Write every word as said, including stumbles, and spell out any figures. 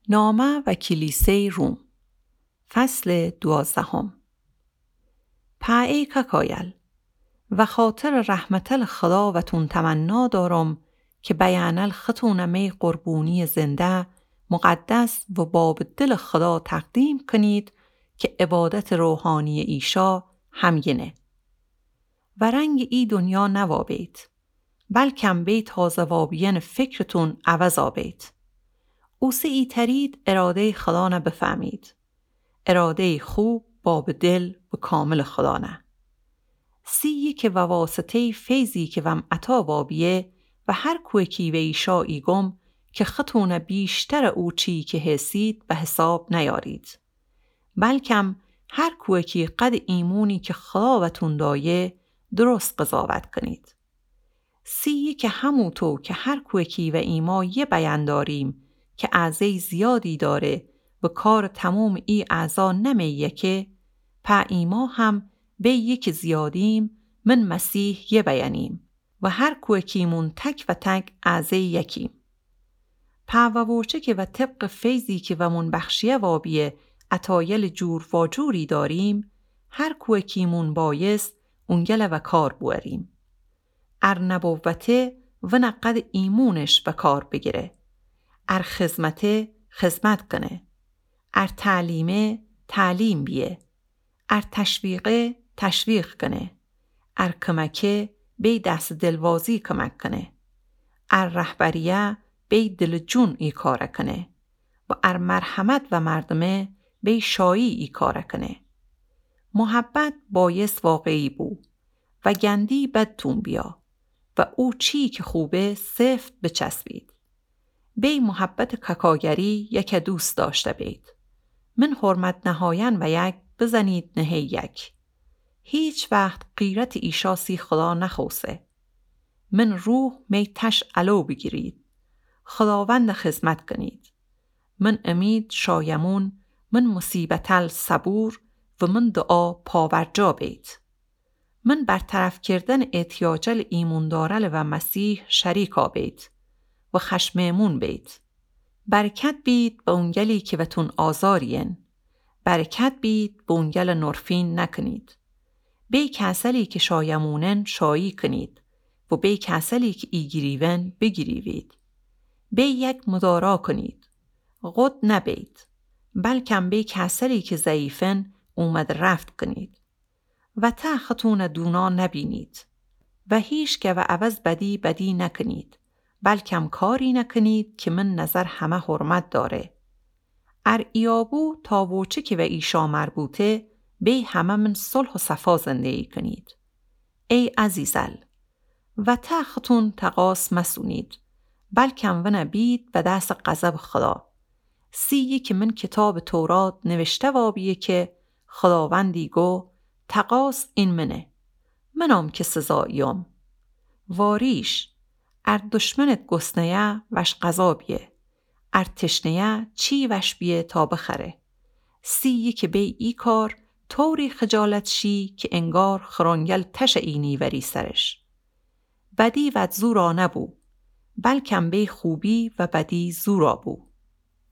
نامه و کلیسه‌ی روم. فصل دوازدهم. پا ای کاکایل، وخاطرٚ رحمتلٚ خدا وتون تمنا دارم که بیأنل ختونَ می قربونیٚ زنده، مقدس و بابٚ دلٚ خدا تقدیم کنید که عبادتٚ روحانیٚ ایشا همگینه. و رنگٚ ای دنیا نوابید، بلکم بی تازه وابیأنٚ فکرتون عوض آبید. اوسه ایترید اراده‌یٚ خدانَ بفهمید. اراده‌یٚ خوب، بابٚ دل و کاملٚ خدانَ. سیی که وواسطه‌یٚ فیضی که وم عطا وابیه و هر کویکی و ایشا ایگم که ختونَ بیشترٚ او چیی که هسید به حساب نیارید. بلکم هر کویکی قدٚ ایمونی که خدا وتون دایه درست قضاوت کنید. سیی که هموطو که هر کویکی و ایما یه بیأن داریم که اعضه‌یٚ زیادی داره و کارٚ تمومٚ ای اعضا نمی یکه، پا ایما هم بی یه که زیادیم من مسیح یه بیأنیم و هر کویکیمون تک و تک اعضه‌یٚ یکیم. پا ووچه که و طبقٚ فیضی که ومون بخشیه وابیه عطایلٚ جور واجوری داریم، هر کویکیمون بایست اونگل وکار بوأریم. ار نبوته ونَ قدٚ ایمونش وکار بگیره. ار خدمته خدمت کنه. ار تعلیمه تعلیم بیه. ار تشویقه تشویق کنه. ار کمکه بی دست دلوازی کمک کنه. ار رهبریه بی دلٚ جون ای کارَ کنه. و ار مرحمت و مردمه بی شایی ای کارَ کنه. محبت بایست واقعی بو و گندی بدتون بیا و او چیی که خوبه سفت بچسبید. بی محبتٚ کاکاگری یکَ دوست داشته بید. من حرمت نهایأن و یک بزنید نهه یک. هیچ وقت غیرتٚ ایشا سی خدا نخوسه. من روح می تش الو بگیرید. خداوندَ خدمت کنید. من امید شایمون، من مصیبتل صبور و من دعا پاورجا بید. من برطرف کردنٚ احتیاجل ایموندارل و مسیح شریکا بید و خشمٚ امون بید. برکت بید به اونگلی که وتون آزاریین. برکت بید به اونگل نرفین نکنید. بی کسلی که شایمونن شایی کنید و بی کسلی که ایگیریون بگیریوید. بی یک مدارا کنید. غد نبید، بلکم بی کسلی که ضعیفن اومد رفت کنید. و ته ختونَ دونا نبینید. و هیچ گوٚ عوض بدی بدی نکنید، بلکم کاری نکنید که من نظر همه حرمت داره. ار ایابو تا ووچه که و ایشا مربوطه، بی همه من صلح و صفا زندگی کنید. ای عزیزل، و ته ختون تقاص مسونید، بلکم ونَ بید به دس غضبٚ خدا. سیی که من کتابٚ تورات نوشته وابیه که خداوندی گو، تقاص این منه، منام که سزا ایوم. واریش، ار دشمنت گسنه‌یه وش غذا بیه، ار تشنه‌یه چی وش بیه تا بخره. سیی که بی ای کار طوری خجالت شی که انگار خرنگل تشٚ ای نیوری سرش. بدی وأد زورا نبو، بلکم بی خوبی و بدی زورا بو.